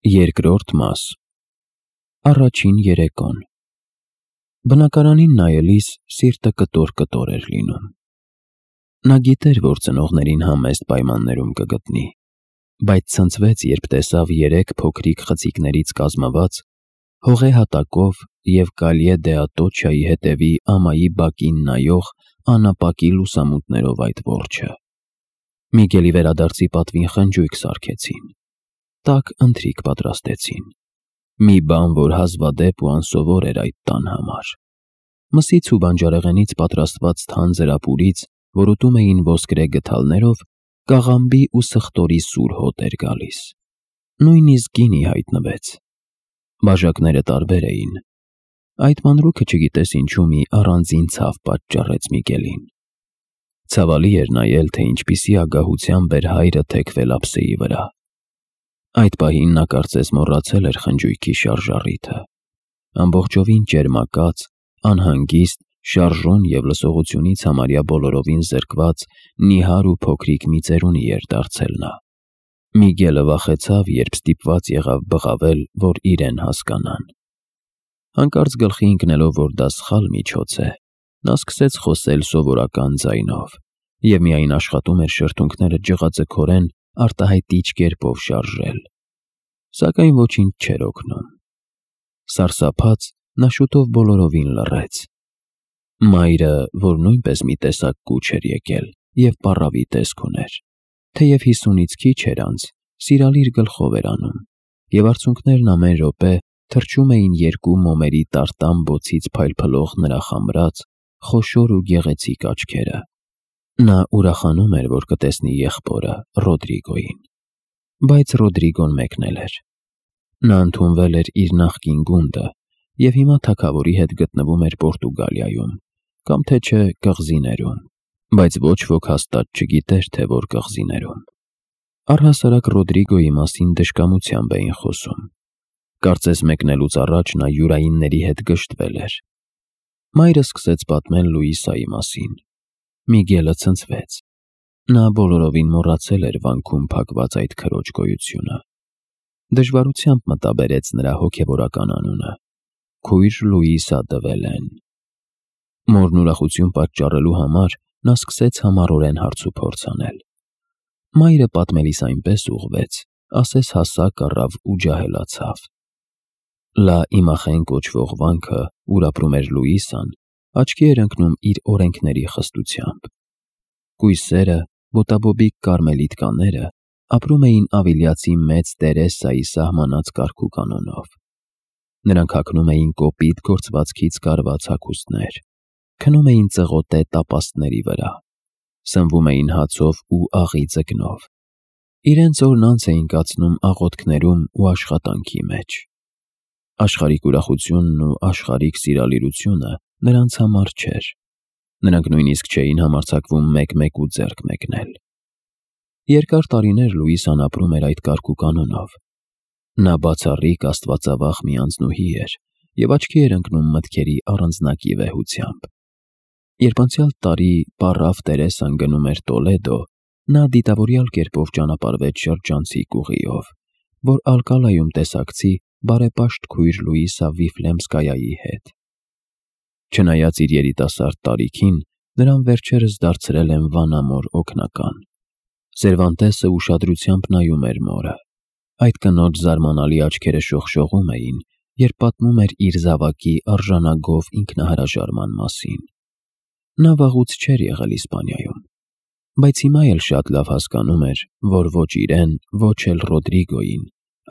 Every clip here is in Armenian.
Երկրորդ մաս Առաջին երեկոն Բնակարանին նայելիս սիրտը կտոր-կտոր էր լինում։ Նա գիտեր, որ ծնողներին համեստ պայմաններում կգտնի, բայց ցնցվեց, երբ տեսավ 3 փոքրիկ խցիկներից կազմված, հողե հատակով և Կալյե դե Ատոչայի հետևի ամայի բակին նայող անապակի լուսամուտներով այդ որջը։ Միգելի վերադարձի պատվին խնջույք սարքեցին, տաք ընթրիք պատրաստեցին, մի բան, որ հազվադեպ ու անսովոր էր այդ տան համար։ Մսից ու բանջարեղենից պատրաստված թանձր ապուրից, որ ուտում էին ոսկրե գդալներով, կաղամբի ու սխտորի սուր հոտ էր գալիս։ Նույնիսկ գինի հայտնվեց։ Բաժակները տարբեր էին։ Այդ մանրուքը չգիտես ինչու մի առանձին ցավ պատճառեց Միգելին։ Ցավալի էր նայել, թե ինչպիսի ագահությամբ էր հայրը թեքվել ափսեի վրա։ Այդ պահին նա կարծես մոռացել էր խնջույքի շարժառիթը։ Ամբողջովին ճերմակած, անհանգիստ, շարժուն և լսողությունից համարյա բոլորովին զրկված նիհար ու փոքրիկ մի ծերունի էր դարձել նա։ Միգելը վախեցավ, երբ ստիպված եղավ բղավել, որ իրեն հասկանան։ Հանկարծ գլխի ընկնելով, որ դա սխալ միջոց է, նա սկսեց խոսել սովորական ձայնով և միայն աշխատում էր շրթունքները ջղաձգորեն արտահայտիչ կերպով շարժել։ Սակայն ոչինչ չէր օգնում։ Սարսափած, նա շուտով բոլորովին լռեց։ Մայրը, որ նույնպես մի տեսակ կուչ էր եկել և պառավի տեսք ուներ, թեև 50-ից քիչ էր անց, սիրալիր գլխով էր անում, և արցունքներն ամեն րոպե թռչում էին 2 մոմերի տարտան բոցից փայլփլող նրա խամրած, խոշոր ու գեղեցիկ աչքերը։ Նա ուրախանում էր, որ կտեսնի եղբորը՝ Ռոդրիգոյին։ Բայց Ռոդրիգոն մեկնել էր։ Նա ընդունվել էր իր նախկին գունդը և հիմա թագավորի հետ գտնվում էր Պորտուգալիայում, կամ թե չէ կղզիներում, բայց ոչ ոք հաստատ չգիտեր, թե որ կղզիներում։ Առհասարակ Ռոդրիգոյի մասին դժկամությամբ էին խոսում։ Կարծես մեկնելուց առաջ նա յուրայինների հետ գժտվել էր։ Մայրը սկսեց պատմել Լուիսայի մասին։ Միգելը ցնցվեց։ Նա բոլորովին մոռացել էր վանքում փակված այդ քրոջ գոյությունը։ Դժվարությամբ մտաբերեց նրա հոգևորական անունը՝ քույր Լուիսա դը Վելեն։ Մորն ուրախություն պատճառելու համար նա սկսեց համառորեն հարցուփորձ անել։ Մայրը պատմելիս այնպես ուղղվեց, ասես հասակ առավ ու ջահելացավ։ Լա Իմախեն կոչվող վանքը, ուր ապրում էր Լուիսան, աչքի էր ընկնում իր օրենքների խստությամբ։ Կույսերը, ոտաբոբիկ կարմելիտ կաները ապրում էին ավիլիացի մեծ Տերեսայի սահմանած կարգուկանոնով։ Նրանք հագնում էին կոպիտ գործվածքից կարված հագուստներ, քնում էին ծղոտե տապաստների վրա, սնվում էին հացով ու աղի ձկնով։ Իրենց օրն անց էին կացնում աղոթքներում ու աշխատանքի մեջ։ Աշխարհիկ ուրախությունն ու աշխարհիկ սիրալիրությունը նրանց համար չէր։ Նրանք նույնիսկ չէին համարձակվում մեկ-մեկ ու ձեռք մեկնել։ Երկար տարիներ Լուիսան ապրում էր այդ կարգուկանոնով։ Նա բացառիկ աստվածավախ մի անձնուհի էր և աչքի էր ընկնում մտքերի առանձնակի վեհությամբ։ Երբ անցյալ տարի պառավ Տերեսան գնում էր Տոլեդո, նա դիտավորյալ կերպով ճանապարհվեց շրջանցիկ ուղիով, որ Ալկալայում տեսակցի բարեպաշտ քույր Լուիսա Վիֆլեմսկայայի հետ։ Չնայած իր երիտասարդ տարիքին, նրան վերջերս դարձրել են վանամոր օգնական։ Սերվանտեսը ուշադրությամբ նայում էր մորը։ Այդ կնոջ զարմանալի աչքերը շողշողում էին, երբ պատմում էր իր զավակի արժանագով ինքնահրաժարման մասին։ Նա վաղուց չէր եղել Իսպանիայում, բայց հիմա էլ շատ լավ հասկանում էր, որ ոչ իրեն, ոչ էլ Ռոդրիգոյին,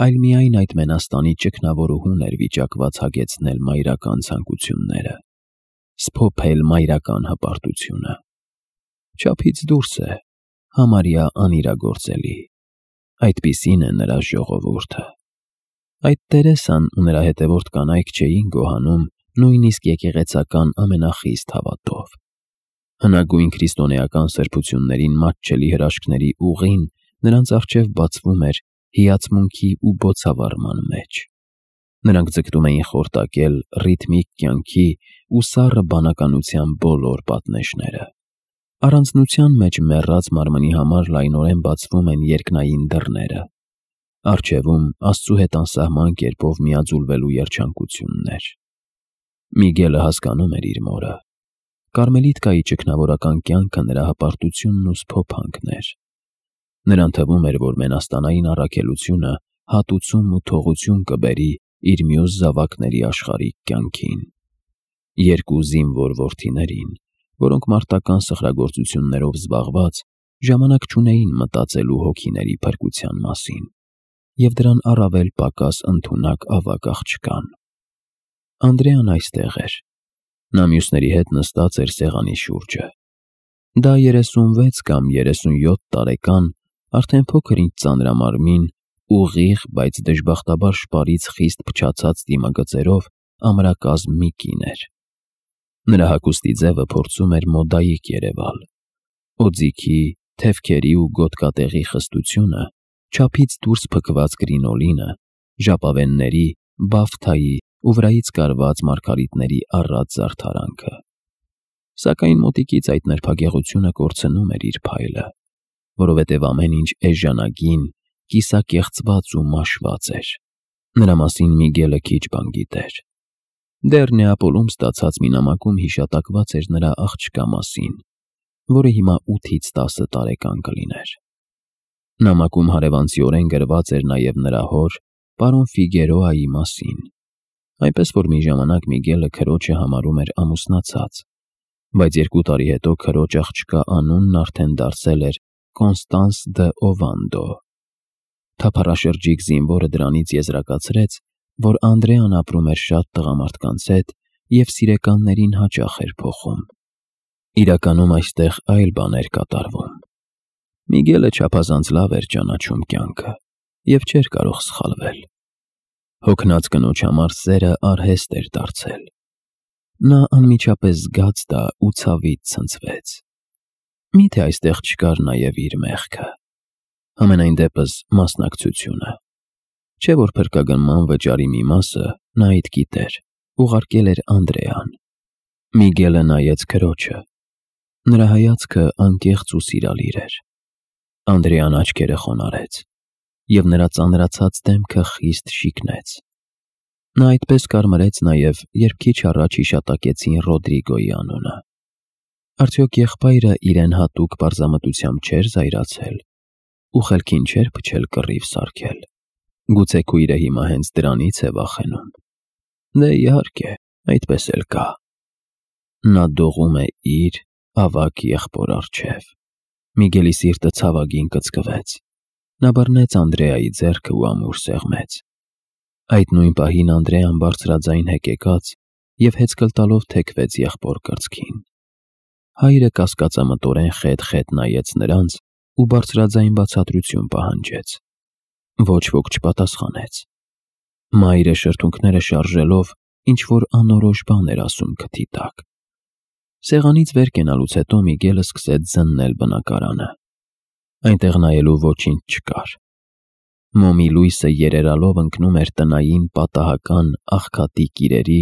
այլ միայն այդ մենաստանի ճգնավորուհուն էր վիճակված հագեցնել մայրական ցանկությունները, սփոփել մայրական հպարտությունը։ Չափից դուրս է, համարյա անիրագործելի։ Այդպիսին է նրա ժողովուրդը։ Այդ Տերեսան ու նրա հետևորդ կանայք չէին գոհանում նույնիսկ եկեղեցական ամենախիստ հավատով։ Հնագույն քրիստոնեական սրբություններին մատչելի հրաշքների ուղին նրանց առջև բացվում էր հիացմունքի ու բոցավառման մեջ։ Նրանք ձգտում էին խորտակել ռիթմիկ կյանքի ու սառը բանականության բոլոր պատնեշները։ Առանձնության մեջ մեռած մարմնի համար լայնորեն բացվում են երկնային դռները։ Առջևում Աստծու հետ անսահման կերպով միաձուլվելու երջանկություններ։ Միգելը հասկանում էր իր մորը։ Կարմելիտկայի ճգնավորական կյանքը նրա հպարտությունն ու սփոփանքն էր։ Նրան թվում էր, որ մենաստանային առաքելությունը հատուցում ու թողություն կբերի իր մյուս զավակների աշխարհիկ կյանքին։ Երկու զինվոր որդիներին, որոնք մարտական սխրագործություններով զբաղված ժամանակ չունեին մտածելու հոգիների փրկության մասին, և դրան առավել պակաս ընդունակ ավագ աղջկան։ Անդրեան այստեղ էր։ Նա մյուսների հետ նստած էր սեղանի շուրջը։ Դա 36 կամ 37 տարեկան, արդեն փոքր-ինչ ծանրամարմին, ուղիղ, բայց դժբախտաբար շպարից խիստ փչացած դիմագծերով ամրակազմ մի կին էր։ Նրա հագուստի ձևը փորձում էր մոդայիկ երևալ։ Օձիքի, թևքերի ու գոտկատեղի խստությունը, չափից դուրս փքված կրինոլինը, ժապավենների, բաֆթայի ու վրայից կարված մարգարիտների առատ զարդարանքը։ Սակայն մոտիկից այդ նրբագեղությունը կորցնում էր իր փայլը, որովհետև ամեն ինչ էժանագին, կիսակեղծված ու մաշված էր։ Նրա մասին Միգելը քիչ բան գիտեր։ Դեռ Նեապոլում ստացած մի նամակում հիշատակված էր նրա աղջկա մասին, որը հիմա 8-ից 10 տարեկան կլիներ։ Նամակում հարևանցիորեն գրված էր նաև նրա հոր, պարոն Ֆիգերոայի մասին, այնպես որ մի ժամանակ Միգելը քրոջը համարում էր ամուսնացած, բայց 2 տարի հետո քրոջ աղջկա անունն արդեն դարձել էր Կոնստանս դ'Օվանդո։ Թափառաշրջիկ զինվորը դրանից եզրակացրեց, որ Անդրեան ապրում էր շատ տղամարդկանց հետ և սիրեկաններին հաճախ էր փոխում։ Իրականում այստեղ այլ բան էր կատարվում։ Միգելը չափազանց լավ էր ճանաչում կյանքը և չէր կարող սխալվել։ Հոգնած կնոջ համար սերը արհեստ էր դարձել։ Նա անմիջապես զգաց դա ու ցավից ցնցվեց։ Միթե այստեղ չկար նաև իր մեղքը, համենայն դեպս մասնակցությունը։ Չէ՞ որ փրկագնման վճարի մի մասը նա այդ գիտեր, ուղարկել էր Անդրեան։ Միգելը նայեց քրոջը։ Նրա հայացքը անկեղծ ու սիրալիր էր։ Անդրեան աչքերը խոնարհեց, և նրա ծանրացած դեմքը խիստ շիկնեց։ Նա այդպես կարմրեց նաև, երբ քիչ առաջ հիշատակեցին Ռոդրիգոյի անունը։ Արդյոք եղբայրը իրեն հատուկ պարզամտությամբ չէր զայրացել ու խելքին չէր փչել կռիվ սարքել։ Գուցե քույրը հիմա հենց դրանից է վախենում։ Դե իհարկե, այդպես էլ կա։ Նա դողում է իր ավագ եղբոր առջև։ Միգելի սիրտը ցավագին կծկվեց։ Նա բռնեց Անդրեայի ձեռքը ու ամուր սեղմեց։ Այդ նույն պահին Անդրեան բարձրաձայն հեկեկաց և հեծկլ տալով թեքվեց եղբոր կրծքին։ Հայրը կասկածամտորեն խետ-խետ նայեց նրանց ու բարձրաձայն բացատրություն պահանջեց։ Ոչ ոք չպատասխանեց։ Մայրը շրթունքները շարժելով ինչ-որ անորոշ բան էր ասում քթի տակ։ Սեղանից վեր կենալուց հետո Միգելը սկսեց զննել բնակարանը։ Այնտեղ նայելու ոչինչ չկար։ Մոմի լույսը երերալով ընկնում էր տնային պատահական աղքատիկ իրերի,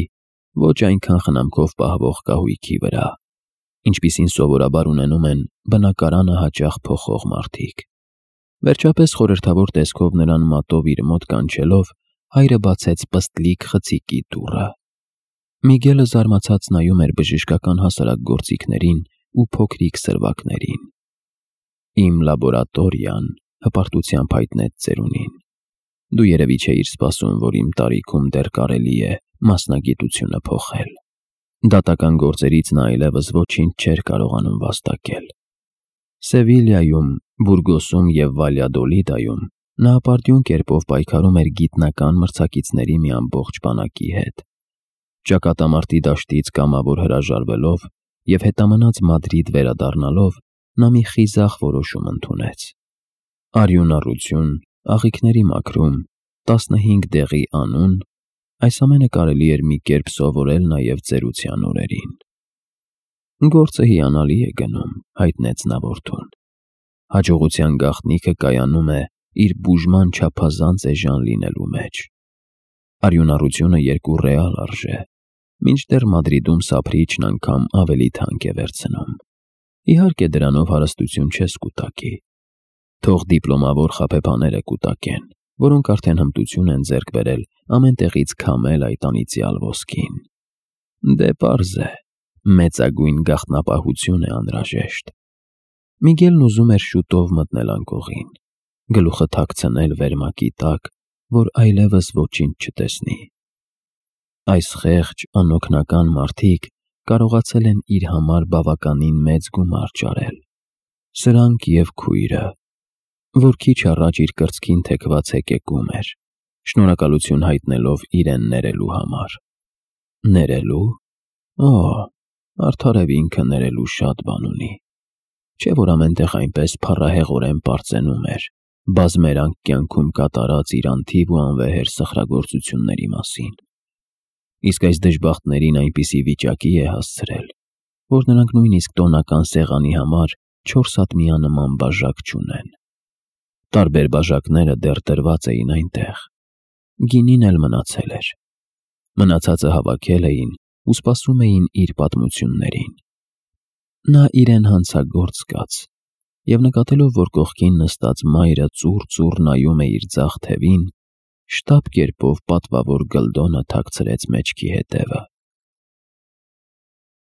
ոչ այնքան խնամքով պահվող կահույքի վրա, ինչպիսին սովորաբար ունենում են բնակարանը հաճախ փոխող մարդիկ։ Վերջապես խորհրդավոր տեսքով նրան մատով իր մոտ կանչելով, հայրը բացեց պստլիկ խցիկի դուռը։ Միգելը զարմացած նայում էր բժշկական հասարակ գործիքներին ու փոքրիկ սրվակներին։ Իմ լաբորատորիան, հպարտությամբ հայտնեց ծերունին։ Դու երևի չէիր սպասում, որ իմ տարիքում դեռ կարելի է մասնագիտությունը փոխել։ Դատական գործերից նա այլևս ոչինչ չէր կարողանում վաստակել։ Սևիլիայում, Բուրգոսում և Վալյադոլիդայում նա ապարդյուն կերպով պայքարում էր գիտնական մրցակիցների մի ամբողջ բանակի հետ։ Ճակատամարտի դաշտից կամավոր հրաժարվելով և հետամնաց Մադրիդ վերադառնալով, նա մի խիզախ որոշում ընդունեց։ Արյունառություն, աղիքների մաքրում, 15 դեղի անուն, այս ամենը կարելի էր մի կերպ սովորել նաև ծերության օրերին։ Գործը հիանալի է գնում, հայտնեց նա որդուն։ Հաջողության գաղտնիքը կայանում է իր բուժման չափազանց էժան լինելու մեջ։ Արյունառությունը 2 ռեալ արժե, մինչդեռ Մադրիդում սափրիչն անգամ ավելի թանկ է վերցնում։ Իհարկե դրանով հարստություն չես կուտակի։ Թող դիպլոմավոր խաբեբաները կուտակեն, որոնք արդեն հմտություն են ձեռք բերել ամեն տեղից քամել այդ անիծյալ ոսկին։ Դե պարզ է, մեծագույն գաղտնապահություն է անհրաժեշտ։ Միգելն ուզում էր շուտով մտնել անկողին, գլուխը թաքցնել վերմակի տակ, որ այլևս ոչինչ չտեսնի։ Այս խեղճ, անօգնական մարդիկ կարողացել են իր համար բավականին մեծ գումար ճարել։ Սրանք և քույրը, որ քիչ առաջ իր կրծքին թեքված հեկեկում էր, շնորհակալություն հայտնելով իրեն ներելու համար։ Ներելու։ Օ, արդարև ինքը ներելու շատ բան ունի։ Չէ՞ որ ամեն տեղ այնպես փառահեղորեն պարծենում էր բազմերանգ կյանքում կատարած իր անթիվ ու անվեհեր սխրագործությունների մասին։ Իսկ այս դժբախտներին այնպիսի վիճակի է հասցրել, որ նրանք նույնիսկ տոնական սեղանի համար 4 ատմիանման բաժակ չունեն։ Տարբեր բաժակները դեռ դրված էին այնտեղ։ Գինին էլ մնացել էր։ Մնացածը հավաքել էին ու սպասում էին իր պատմություններին։ Նա իրեն հանցագործ զգաց և նկատելով, որ կողքին նստած մայրը ծուռ նայում է իր ձախ թևին, շտապ կերպով պատվավոր գլդոնը թաքցրեց մեջքի հետևը։